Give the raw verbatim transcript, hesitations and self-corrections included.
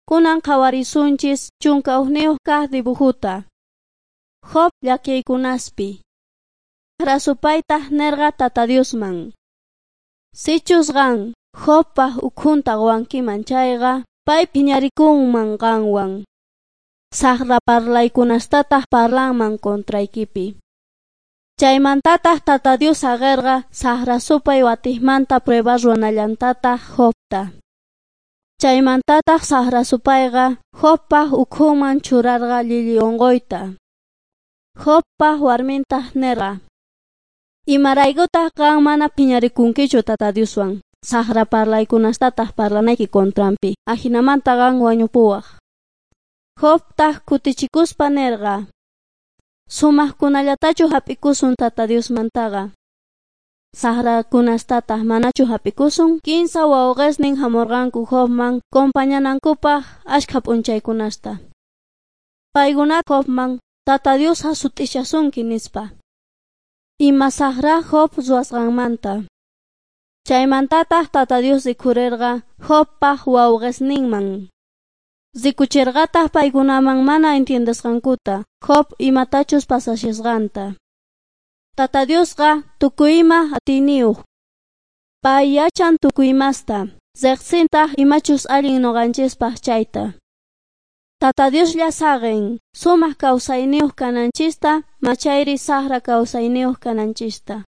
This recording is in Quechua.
Kunan qhawarisunchis chunka hukniyuq kaq dibujuta. Job llakiykunaspi. Saqra supaytaq nirqa Tata Diosman: Sichus qan Jobpaq ukhunta quwankiman chayqa, pay phiñarikunman qanwan. Saqra parlaykunastataq parlanman contraykipi. Chaymantataq Tata Dios saqirqa saqra supay watiqmanta prueba ruwanallantataq Jobta. Chaymantataq saqra supayqa Jobpaq ukhunman churarqa llilli unquyta. Jobpaq warmintaq nirqa: Imaraykutaq qan mana phiñarikunkichu Tata Dioswan, saqra parlaykunastataq parlanayki contranpi, ajinamanta qan wañupuwaq. Jobtaq kutichikuspa nirqa: Sumaqkunallatachu hap'ikusun Tata Diosmantaqa, saqrakunastataq manachu hap'ikusun? Kinsa wawqisnin hamurqanku Jobman compañanankupaq ashkha p'unchaykunasta. Paykuna Jobman Tata Dios hasut'ishasunki nispa. Ima saqra Job ruwasqanmanta. Chaymantataq Tata Dios rikhurirqa Jobpaq wawqisninman. Rikuchirqataq paykunaman mana entiendesqankuta Job imatachus pasashasqanta. Tata Diosqa tukuy ima atiyniyuq. Pay yachan tukuy imasta, riqsintaq imachus allin ñuqanchispaq chayta. Tata Dioslla saqin sumaq kawsayniyuq kananchista machayri saqra kawsayniyuq kananchista.